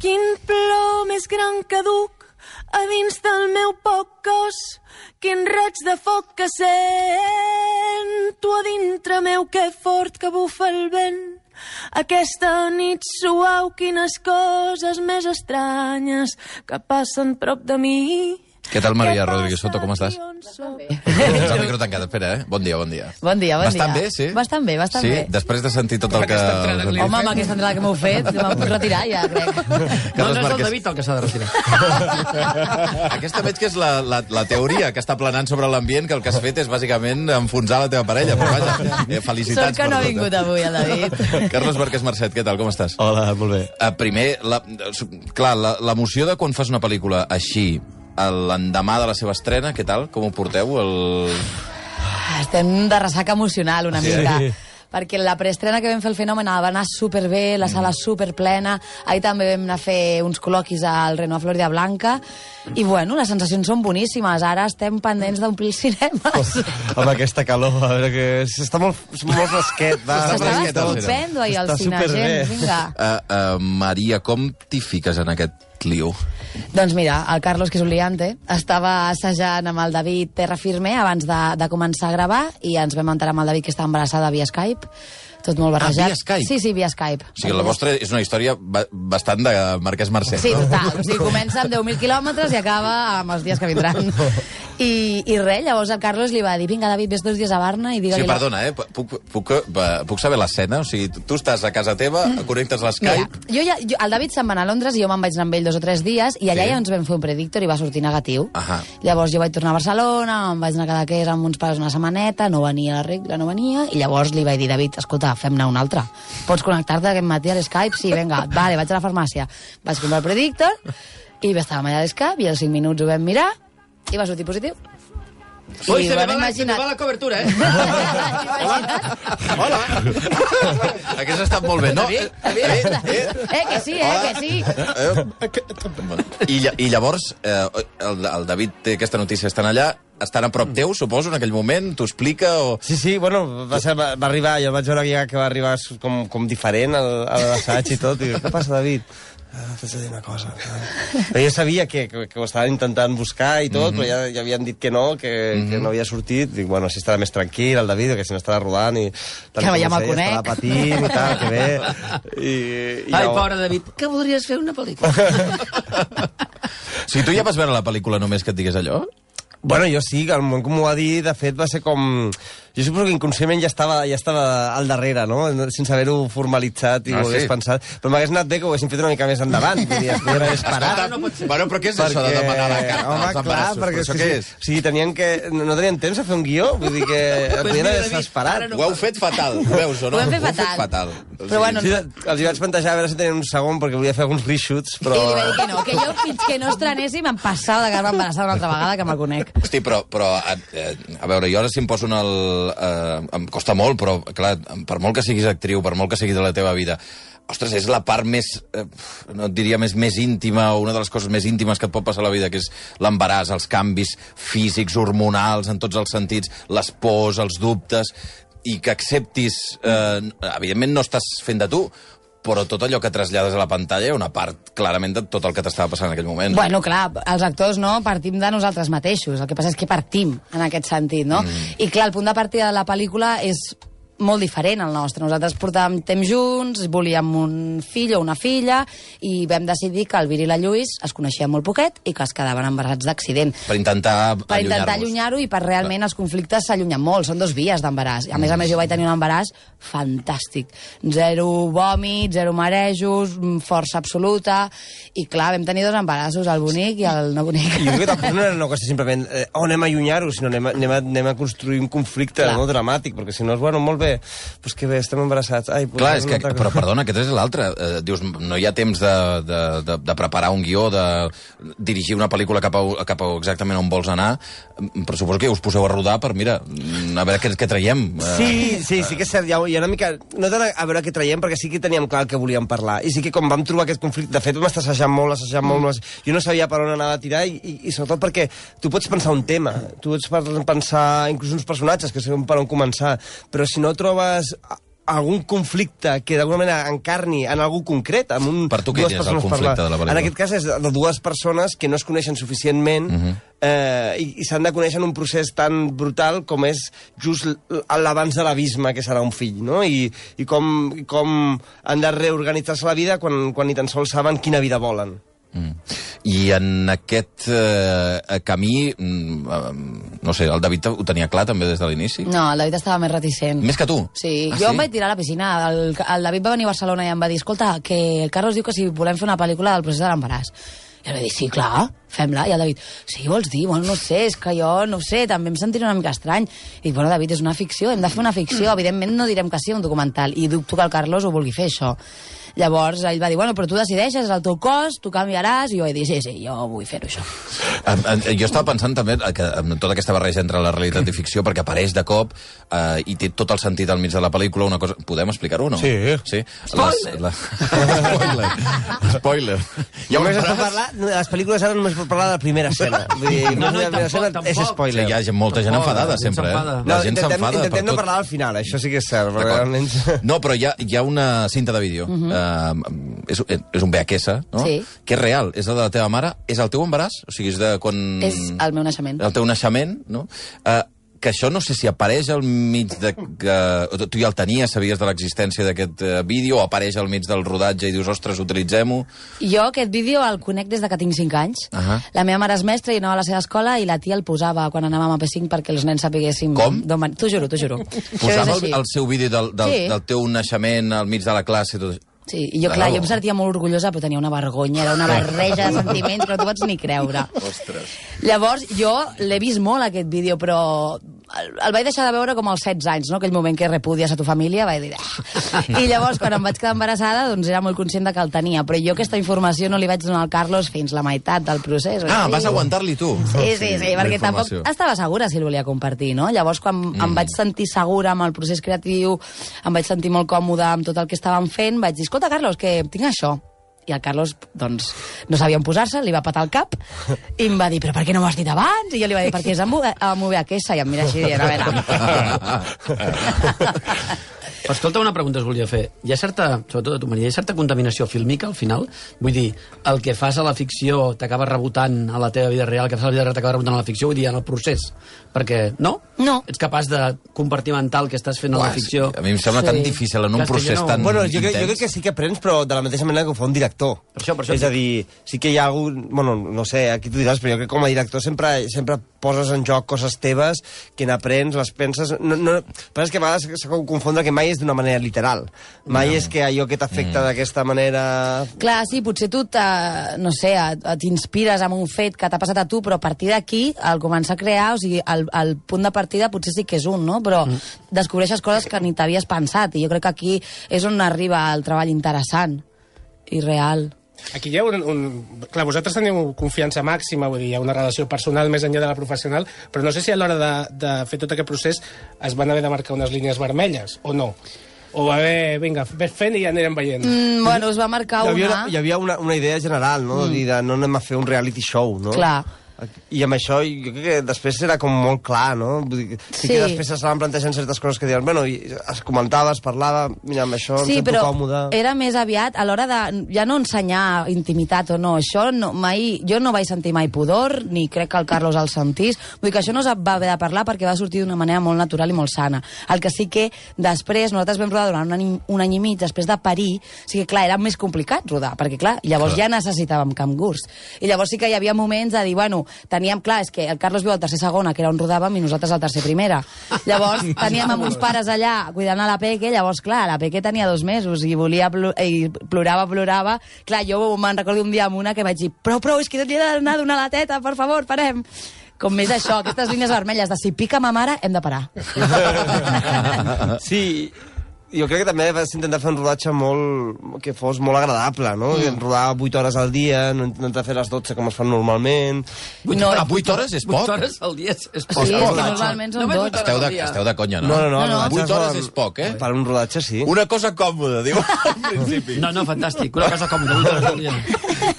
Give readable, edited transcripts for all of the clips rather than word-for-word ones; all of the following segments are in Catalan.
Quin plor més gran que duc a dins del meu poc cos, quin raig de foc que sento a dintre meu, que fort que bufa el vent. Aquesta nit suau, quines coses més estranyes que passen prop de mi. Què tal, Maria Rodríguez Soto, com estàs? El micro tancat, espera, Bon dia. Bon dia, bon dia. Bastant bé, sí? Bastant bé. Sí, després de sentir tot el que... Home, amb aquesta entrada que m'heu fet, me'n puc retirar ja, crec. No és el David el que s'ha de retirar. Aquesta veig que és la teoria que està planant sobre l'ambient, que el que has fet és bàsicament enfonsar la teva parella, però vaja, felicitats. Sort que no ha vingut avui, el David. Carlos Marquès Marcet, què tal, com estàs? Hola, molt bé. Primer, clar, l'emoció de quan fas una pel·lícula així, l'endemà de la seva estrena, què tal? Com ho porteu? Estem de ressaca emocional una mica. Perquè la preestrena que vam fer el Fenomen va anar superbé, la sala superplena. Ahir també vam anar a fer uns col·loquis al Renoir Florida Blanca. I bueno, les sensacions són boníssimes. Ara estem pendents d'omplir els cinemes. Amb aquesta calor, a veure que... Està molt fresquet. S'estava estupendo ahir al cine, gent. Vinga. Maria, com t'hi fiques en aquest lío? Doncs mira, el Carlos, que és un liante, estava assajant amb el David Terra Firme abans de començar a gravar i ens vam enterar amb el David que estava embarassada via Skype. Tot molt barrejat. Via Skype? Sí, via Skype. O sigui, la vostra és una història bastant de Marquès Marcet, sí, no? Sí, total. O sigui, comença amb 10.000 quilòmetres i acaba amb els dies que vindran. I res, llavors el Carlos li va dir, vinga, David, ves 2 dies a Barna i digue-li... Sí, perdona, puc saber l'escena? O sigui, tu estàs a casa teva, connectes l'Skype... Mira, el David se'n va anar a Londres i jo me'n vaig anar amb ell 2 o 3 dies i allà ja ens vam fer un predictor i va sortir negatiu. Llavors jo vaig tornar a Barcelona, em vaig anar a Cadaqués amb uns pares una setmaneta, no venia la regla, no venia, i llavors li vaig dir, David, escolta, fem-ne un altre. Pots connectar-te aquest matí a l'Skype? Sí, vinga, vale, vaig a la farmàcia. Vaig comprar el predictor i estàvem allà a l'Skype i als 5 minuts ho vam mirar i va sortir positiu. Ui, se me va la cobertura, Hola. Hagués estat molt bé, no? Que sí, que sí. I llavors, el David té aquesta notícia, estan allà, estan a prop teu, suposo, en aquell moment? T'ho explica o...? Sí, bueno, va arribar, jo el vaig veure que va arribar com diferent a l'assaig i tot, i què passa, David? T'haig de dir una cosa. Però jo sabia que ho estaven intentant buscar i tot, però ja havien dit que no, que no havia sortit. Dic, bueno, així estarà més tranquil el David, que si no estarà rodant i... Que ja me'l conec. Estarà patint i tal, que bé. Ai, pobre David, que voldries fer una pel·lícula? Si tu ja vas veure la pel·lícula només que et digués allò? Bueno, jo sí, al moment que m'ho va dir, de fet, va ser com... Jo suposo que inconscientment ja estava al darrere, no? Sense haver-ho formalitzat i ho hagués pensat. Però m'hagués anat bé que ho haguessin fet una mica més endavant. Es podien haver esperat. Bueno, però què és això de demanar la carta als embarassos? Perquè això què és? O sigui, no tenien temps a fer un guió, vull dir que podien haver esperat. Ho heu fet fatal, veus o no? Ho hem fet fatal. Però bueno... Sí, els hi vaig plantejar a veure si tenien un segon, perquè volia fer alguns reshoots, però... I li va dir que no, que jo fins que no estrenéssim em passava de quedar-me embarassada una altra vegada, que me'l conec. Hosti, però a veure, jo ara si em poso em costa molt, però, clar, per molt que siguis actriu, per molt que sigui de la teva vida, ostres, és la part més, no et diria més íntima, o una de les coses més íntimes que et pot passar a la vida, que és l'embaràs, els canvis físics, hormonals, en tots els sentits, les pors, els dubtes, i que acceptis... evidentment no estàs fent de tu, però tot allò que trasllades a la pantalla hi ha una part, clarament, de tot el que t'estava passant en aquell moment. Bueno, clar, els actors, no?, partim de nosaltres mateixos. El que passa és que partim en aquest sentit, no? I, clar, el punt de partida de la pel·lícula és molt diferent al nostre. Nosaltres portàvem temps junts, volíem un fill o una filla, i vam decidir que el Vir i la Lluís es coneixien molt poquet i que es quedaven embarassats d'accident. Per intentar allunyar-ho i per realment els conflictes s'allunyen molt. Són 2 vies d'embaràs. A més, jo vaig tenir un embaràs fantàstic. 0 vòmits, 0 marejos, força absoluta, i clar, vam tenir 2 embarassos, el bonic i el no bonic. I jo crec que tampoc no era una qüestió simplement anem a allunyar-ho, sinó anem a construir un conflicte molt dramàtic, perquè si no és, bueno, molt bé, doncs que bé, estem embarassats. Clar, és que, però perdona, aquest és l'altre. Dius, no hi ha temps de preparar un guió, de dirigir una pel·lícula cap a exactament on vols anar, però suposo que us poseu a rodar per, mira, a veure què traiem. Sí que és cert, hi ha una mica... No tant a veure què traiem, perquè sí que teníem clar el que volíem parlar. I sí que quan vam trobar aquest conflicte, de fet vam estar assajant molt, jo no sabia per on anava a tirar, i sobretot perquè tu pots pensar un tema, tu pots pensar inclús uns personatges que sabem per on començar, però si no trobes algun conflicte que d'alguna manera encarni en algú concret. Per tu, quin és el conflicte de la pel·lícula? En aquest cas és de dues persones que no es coneixen suficientment i s'han de conèixer en un procés tan brutal com és just l'abans de l'abisme que serà un fill, no? I com han de reorganitzar-se la vida quan ni tan sols saben quina vida volen. I en aquest camí, no sé, el David ho tenia clar també des de l'inici? No, el David estava més reticent. Més que tu? Sí, jo em vaig tirar a la piscina. El David va venir a Barcelona i em va dir, escolta, que el Carlos diu que si volem fer una pel·lícula del procés de l'embaràs. I jo li vaig dir, sí, clar, fem-la. I el David, sí, vols dir? Bueno, no sé, és que jo, no sé, també em sentiré una mica estrany. I dic, bueno, David, és una ficció, hem de fer una ficció. Evidentment no direm que sí, un documental. I dubto que el Carlos ho vulgui fer, això. Llavors ell va dir, bueno, però tu decideixes, és el teu cos, tu canviaràs, i jo he dit, sí, jo vull fer-ho, això. Jo estava pensant també que amb tota aquesta barreja entre la realitat i ficció, perquè apareix de cop i té tot el sentit al mig de la pel·lícula, una cosa... Podem explicar-ho o no? Sí. Spoiler! Spoiler! Les pel·lícules ara només pot parlar de la primera escena. No, la primera escena és spoiler. Hi ha molta gent enfadada, sempre, La gent s'enfada per tot. Intentem no parlar al final, això sí que és cert. Realment... No, però hi ha una cinta de vídeo. És un VHS, no? Sí. Que és real, és la de la teva mare, és el teu embaràs, o sigui, és de quan... És el meu naixement. El teu naixement, no? Que això no sé si apareix al mig de... Tu ja el tenies, sabies de l'existència d'aquest vídeo, o apareix al mig del rodatge i dius, ostres, utilitzem-ho? Jo aquest vídeo el conec des de que tinc 5 anys. La meva mare és mestra i anava a la seva escola i la tia el posava quan anàvem a P5 perquè els nens sapiguéssim... Com? T'ho juro. Posava el seu vídeo del teu naixement al mig de la classe i tot això? Sí, i jo, clar, jo em sentia molt orgullosa, però tenia una vergonya, era una barreja de sentiments que no t'ho pots ni creure. Ostres. Llavors, jo l'he vist molt, aquest vídeo, però el vaig deixar de veure com als 16 anys, no? Aquell moment que repudies a tu família, vaig dir... I llavors, quan em vaig quedar embarassada, doncs era molt conscient que el tenia, però jo aquesta informació no li vaig donar al Carlos fins la meitat del procés. Vas aguantar-li tu? Sí, perquè tampoc estava segura si el volia compartir, no? Llavors, quan em vaig sentir segura amb el procés creatiu, em vaig sentir molt còmoda amb tot el que estàvem fent, vaig dir, escolta, Carlos, que tinc això. I el Carlos, doncs, no sabia on posar-se, li va patar el cap i em va dir, però per què no m'ho has dit abans? I jo li va dir, perquè és amb VHS, i em mira així dient, a veure... Escolta, una pregunta es volia fer. Hi ha certa, sobretot a tu, Maria, hi ha certa contaminació fílmica al final? Vull dir, el que fas a la ficció t'acaba rebotant a la teva vida real, el que fas a la vida real t'acaba rebotant a la ficció, vull dir, en el procés. Perquè, no? No. Ets capaç de compartimentar el que estàs fent a la ficció? A mi em sembla tan difícil en un procés tan Bueno, jo intens. crec que sí que aprens, però de la mateixa manera que ho fa un director. Per això. És a dir, sí que hi ha algun... Bueno, no sé, aquí tu diràs, però jo crec que com a director sempre poses en joc coses teves que n'aprens, les penses... Però és que a vegades s'ha de confondre que mai és d'una manera literal. Mai és que allò que t'afecta d'aquesta manera... Clar, sí, potser tu no sé, t'inspires amb un fet que t'ha passat a tu, però a partir d'aquí, al començar a crear, o sigui, el punt de partida potser sí que és un, no? Però descobreixes coses que ni t'havies pensat, i jo crec que aquí és on arriba el treball interessant i real. Aquí hi ha Clar, vosaltres teniu confiança màxima, vull dir, hi ha una relació personal més enllà de la professional, però no sé si a l'hora de fer tot aquest procés es van haver de marcar unes línies vermelles, o no? O va haver, vinga, ves fent i ja anirem veient. Bueno, es va marcar Hi havia una idea general, no? De dir, no anem a fer un reality show, no? Clar. I amb això jo crec que després era com molt clar, no? Vull dir, sí que després s'estaven plantejant certes coses que diuen, bueno, es comentava, es parlava, mira, amb això em sento còmode. Sí, però era més aviat a l'hora de ja no ensenyar intimitat o no, això no, mai, jo no vaig sentir mai pudor, ni crec que el Carlos el sentís, vull dir que això no es va haver de parlar perquè va sortir d'una manera molt natural i molt sana. El que sí que després, nosaltres vam rodar durant un any i mig, després de parir, o sigui, clar, era més complicat rodar, perquè clar, llavors ja necessitàvem cangurs. I llavors sí que hi havia moments de dir, bueno, teníem, clar, és que el Carlos viu al tercer segona, que era on rodàvem, i nosaltres al tercer primera. Llavors, teníem amb uns pares allà cuidant a la Peque, llavors, clar, la Peque tenia 2 mesos i plorava. Clar, jo me'n recordo un dia amb una que vaig dir, prou, és que li he d'anar a donar la teta, per favor, parem. Com més això, aquestes línies vermelles de si pica ma mare, hem de parar. Sí, jo crec que també vas intentar fer un rodatge que fos molt agradable, no? Rodar 8 hores al dia, no intentar fer les 12 com es fan normalment. 8 hores és poc? 8 hores al dia és poc. Sí, és que normalment són 12. Esteu de conya, no? No. 8 hores és poc, eh? Per un rodatge, sí. Una cosa còmoda, diu, al principi. No, fantàstic. Una cosa còmoda, 8 hores al dia.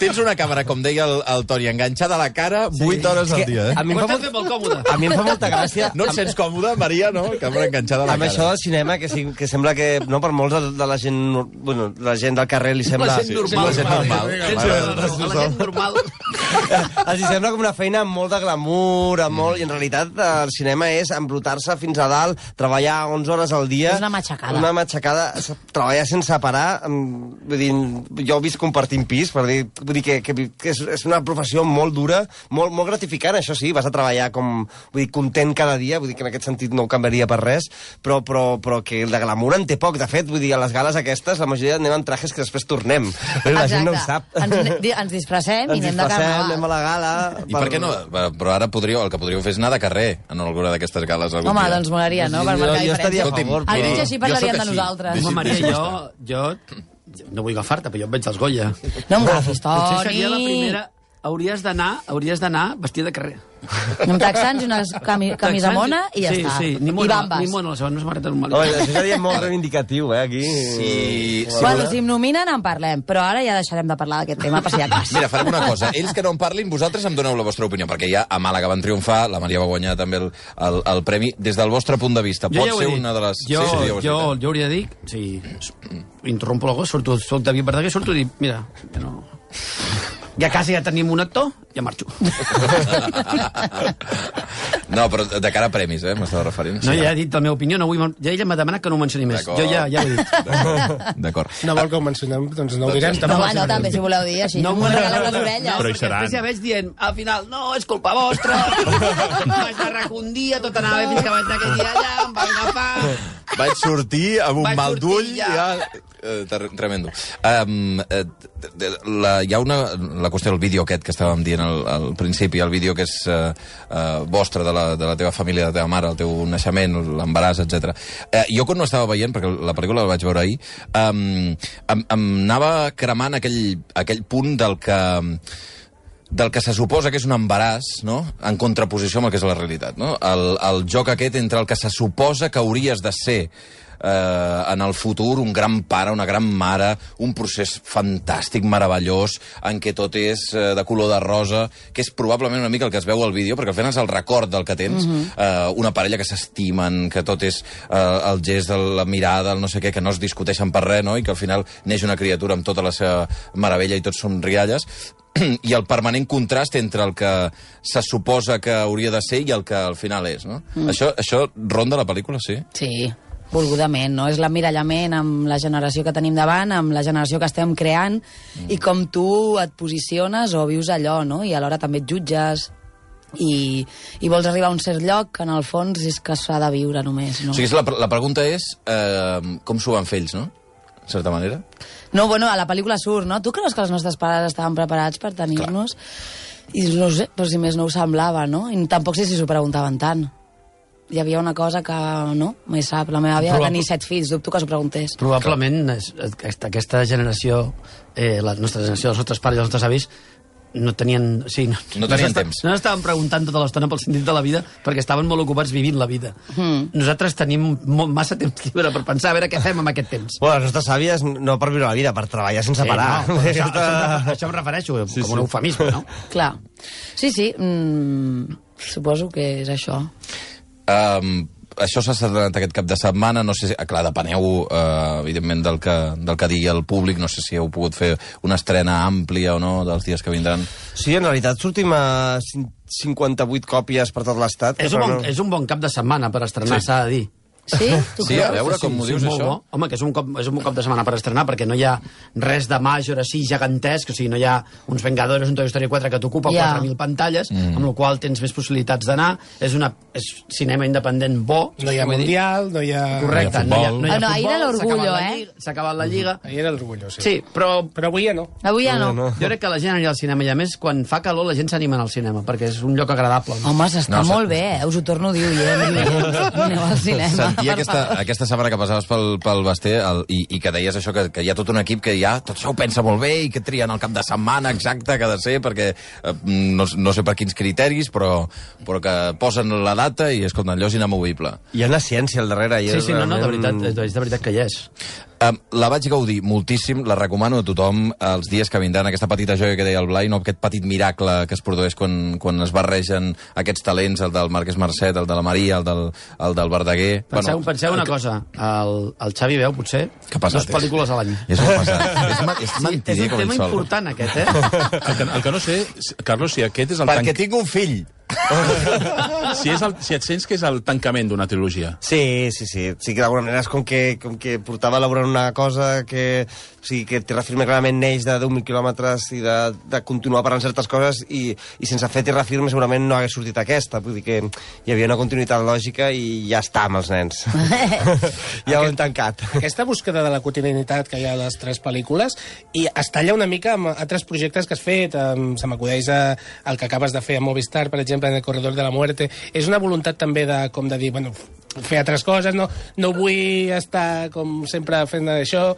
Tens una càmera, com deia el Toni, enganxada a la cara 8 hores al dia, A mi em Ho fa estem fent molt còmode. A mi em fa molta gràcia... No et sents còmode, Maria, no? Càmera enganxada a la Amb cara. això del cinema, que sembla que no, per molts de la gent, bueno, la gent del carrer li sembla... La gent normal. la gent normal. La gent normal. Els hi sembla com una feina amb molt de glamour, amb molt... I en realitat el cinema és embrutar-se fins a dalt, treballar 11 hores al dia... És una matxacada. Una matxacada, treballar sense parar... Vull dir, jo visc compartint pis, vull dir que és una professió molt dura, molt gratificant, això sí, vas a treballar vull dir, content cada dia, vull dir que en aquest sentit no ho canviaria per res, però que el de glamour en té poc. De fet, vull dir, a les gales aquestes, la majoria anem en trajes que després tornem. La gent no ho sap. Ens disfressem i anem de carnaval. Anem a la gala... I per què no? Però ara el que podríeu fer és anar de carrer en alguna d'aquestes gales algun Home, dia. doncs molaria, no? Per marcar Jo estaria a diferència. favor. Almenys així parlarien jo de sóc així. nosaltres. Home, Maria, jo no vull agafar-te, però jo em veig als Goya. No em agafis, Potser seria la Toni. primera... Hauries d'anar vestida de carrer. Amb texans i una camisa mona i ja està. Sí, ni I mona, bambes. ni mona, la segona samarreta normal. Home, això seria molt reivindicatiu, aquí. Sí. Bueno, si em nominen en parlem, però ara ja deixarem de parlar d'aquest tema per si hi ha cas. Mira, farem una cosa. Ells que no en parlin, vosaltres em doneu la vostra opinió, perquè ja a Màlaga van triomfar, la Maria va guanyar també el premi. Des del vostre punt de vista, pot ser una de les... Jo hauria de dir, si interrompo la cosa, soc David Verdaguer, surto i dic, mira, ja quasi ja tenim un actor, ja marxo. No, però de cara a premis, m'estava referint. No, ja he dit la meva opinió, no vull... Ja ella m'ha demanat que no ho mencioni més. Jo ja ho he dit. D'acord. No vol que ho mencionem, doncs no ho direm. No, home, no, també, si voleu dir, així no m'ho regaleu les orelles. Però hi seran. Després ja veig dient, al final, no, és culpa vostra, vaig arracar un dia, tot anava bé fins que vaig anar aquell dia allà, em van agafar... Vaig sortir amb un Vaig mal sortir d'ull, ja. tremendo. Hi ha la qüestió del vídeo aquest que estàvem dient al principi, el vídeo que és vostre, de la teva família, de la teva mare, el teu naixement, l'embaràs, etc. Jo quan no estava veient, perquè la pel·lícula la vaig veure ahir, em anava cremant aquell punt del que se suposa que és un embaràs, no?, en contraposició amb el que és la realitat, no? El joc aquest entre el que se suposa que hauries de ser en el futur, un gran pare, una gran mare, un procés fantàstic, meravellós, en què tot és de color de rosa, que és probablement una mica el que es veu al vídeo, perquè al final és el record del que tens, una parella que s'estimen, que tot és el gest, la mirada, el no sé què, que no es discuteixen per res, no?, i que al final neix una criatura amb tota la seva meravella i tots són rialles, i el permanent contrast entre el que se suposa que hauria de ser i el que al final és, no? Això ronda la pel·lícula, sí? Sí, volgudament, no? És l'emmirallament amb la generació que tenim davant, amb la generació que estem creant, i com tu et posiciones o vius allò, no? I alhora també et jutges i vols arribar a un cert lloc, en el fons és que s'ha de viure només, no? O sigui, la pregunta és com s'ho van fer ells, no? En certa manera. No, bueno, a la pel·lícula surt, no? Tu creus que els nostres pares estaven preparats per tenir-nos? I no sé, però si més no ho semblava, no? I tampoc sé si s'ho preguntaven tant. Hi havia una cosa que, no, mai sap, la meva àvia va tenir 7 fills, dubto que s'ho preguntés. Probablement aquesta generació, la nostra generació, els nostres pares i els nostres avis, no tenien... Sí, no tenien temps. No estaven preguntant tota l'estona pel sentit de la vida perquè estaven molt ocupats vivint la vida. Nosaltres tenim massa temps lliure per pensar a veure què fem amb aquest temps. Bueno, les nostres àvies no per viure la vida, per treballar sense parar. No, això em refereixo, com un eufemisme, no? Clar. Sí, suposo que és això. Això s'ha estrenat aquest cap de setmana, no sé si... Clar, depeneu, evidentment, del que digui el públic, no sé si heu pogut fer una estrena àmplia o no dels dies que vindran. Sí, en realitat sortim a 58 còpies per tot l'estat. És un bon cap de setmana per estrenar, s'ha de dir. Sí? Sí, a veure com ho dius, això. Home, que és un cop de setmana per estrenar, perquè no hi ha res de major així gegantesc, o sigui, no hi ha uns Vengadores, un Toy Story 4 que t'ocupa 4.000 pantalles, amb la qual tens més possibilitats d'anar. És cinema independent bo. No hi ha Mundial, no hi ha... Correcte, no hi ha futbol. Ahir era l'orgullo, S'ha acabat la Lliga. Ahir era l'orgullo, sí. Sí, però avui ja no. Avui ja no. Jo crec que la gent anirà al cinema, i a més, quan fa calor, la gent s'anima al cinema, perquè és un lloc agradable. Home, s'està molt bé, us ho torno a dir, aneu al cinema. Sentia aquesta setmana que passaves pel Basté i que deies això, que hi ha tot un equip que ja tot això ho pensa molt bé i que trien el cap de setmana exacte que ha de ser, perquè no sé per quins criteris, però que posen la data i, escolta, allò és inamovible. Hi ha una ciència al darrere. Sí, no, de veritat que hi és. La vaig gaudir moltíssim, la recomano a tothom els dies que vindran, aquesta petita joia que deia el Blai, no? Aquest petit miracle que es produeix quan es barregen aquests talents, el del Marquès Marcet, el de la Maria, el del Verdaguer... Penseu una cosa, el Xavi veu, potser, dues pel·lícules a l'any. És molt pesat. És mentider com ell sol. És un tema important, aquest, eh? El que no sé, Carlos, si aquest és el... Perquè tinc un fill. Si et sents que és el tancament d'una trilogia. Sí, que d'alguna manera és com que portava elaborant una cosa que Terra Firme clarament neix de 10.000 quilòmetres i de continuar parlant certes coses i sense fer Terra Firme segurament no hagués sortit aquesta, vull dir que hi havia una continuïtat lògica i ja està amb els nens. Ja ho hem tancat. Aquesta búsqueda de la quotidianitat que hi ha a les 3 pel·lícules i es talla una mica amb altres projectes que has fet, se m'acudeix el que acabes de fer a Movistar, per exemple, en El Corredor de la Muerte. És una voluntat també de dir, bueno, fer altres coses, no vull estar com sempre fent això.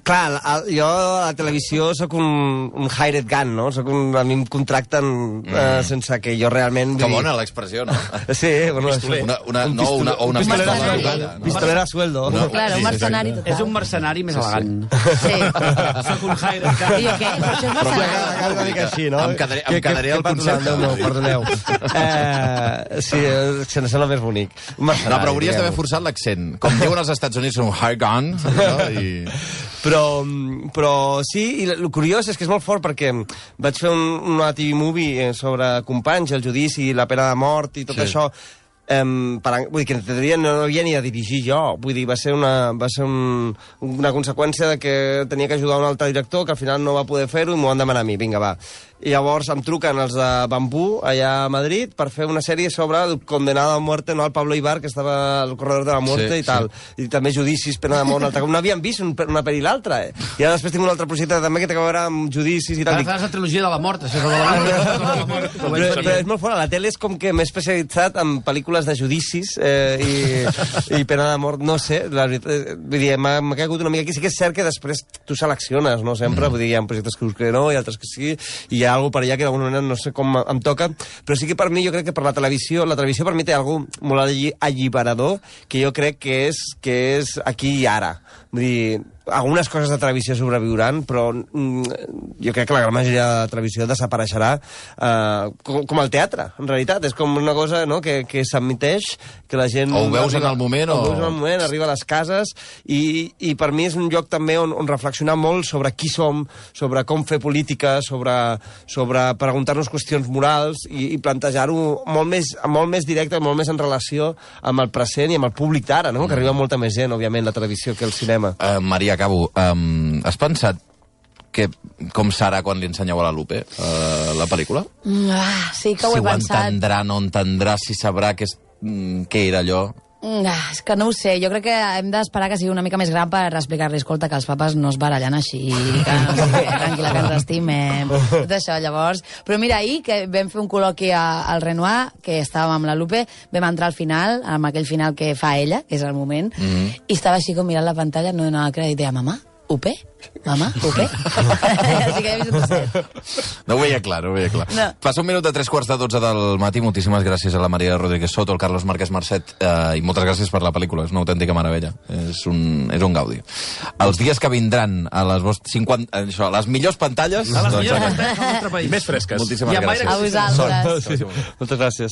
Clar, jo a la televisió sóc un hired gun, no? A mi em contracten sense que jo realment... Que bona l'expressió, no? Sí, bueno... Una pistolera a sueldo. Claro, un mercenari total. És un mercenari més elegant. Sí. Soc un hired gun. I què? Però això és mercenari. Una mica així, no? Em quedaré al concepte. Perdoneu. Sí, se sembla més bonic. No, però hauries d'haver forçat l'accent. Com diuen als Estats Units, un hired gun, Però sí, i el curiós és que és molt fort perquè vaig fer una TV movie sobre Companys, el judici, la pena de mort i tot això. Vull dir que no havia ni de dirigir jo, vull dir, va ser una conseqüència de que tenia que ajudar un altre director que al final no va poder fer-ho i m'ho van demanar a mi, vinga, va. I llavors em truquen els de Bambú, allà a Madrid, per fer una sèrie sobre el condenado a muerte, no, el Pablo Ibar, que estava al Corredor de la Muerte i tal. I també judicis, pena de mort, un altre cop. No havien vist una pel·li i l'altra, I ara després tinc un altre projecte també que té a veure amb judicis i tal. Ara fas la trilogia de la mort, això és de la mort. Però és molt fort, la tele és com que m'he especialitzat en pel·lícules de judicis i pena de mort, no sé, la veritat, vull dir, m'ha caigut una mica aquí. Sí que és cert que després tu selecciones, no sempre, vull dir, hi ha projectes que no, i altres que sí, i hi ha alguna per allà que d'alguna manera no sé com em toca, però sí que per mi, jo crec que per la televisió per mi té alguna molt alliberador que jo crec que és aquí i ara. Vull dir, algunes coses de televisió sobreviuran, però jo crec que la gran majoria de la televisió desapareixerà com el teatre, en realitat. És com una cosa, no?, que s'admiteix, que la gent... O ho veus en el moment, o... ho veus en el moment, arriba a les cases, i per mi és un lloc també on reflexionar molt sobre qui som, sobre com fer política, sobre preguntar-nos qüestions morals i plantejar-ho molt més directe, molt més en relació amb el present i amb el públic d'ara, no?, que arriba molta més gent, òbviament, la televisió que el cinema. Maria, acabo. Has pensat com serà quan li ensenyeu a la Lupe la pel·lícula? Sí que ho he pensat. Si ho entendrà, no entendrà, si sabrà què era allò... És que no ho sé, jo crec que hem d'esperar que sigui una mica més gran per explicar-li, escolta, que els papes no es barallen així, que no sé què, tranquil·la, que ens estimem, tot això, llavors... Però mira, ahir que vam fer un col·loqui al Renoir, que estàvem amb la Lupe, vam entrar al final, amb aquell final que fa ella, que és el moment, i estava així com mirant la pantalla, no donava crèdit, deia, mamà, UP? Mamà, UP? Així que ja he vist un set. No ho veia clar, no ho veia clar. No. Passa un minut de 3:45 del matí. Moltíssimes gràcies a la Maria Rodríguez Soto, al Carlos Márquez Marcet, i moltes gràcies per la pel·lícula. És una autèntica meravella. És un gaudi. Els dies que vindran a les les millors pantalles... A les millors pantalles del nostre país. Més fresques. Moltíssimes gràcies. A vosaltres. Moltes gràcies.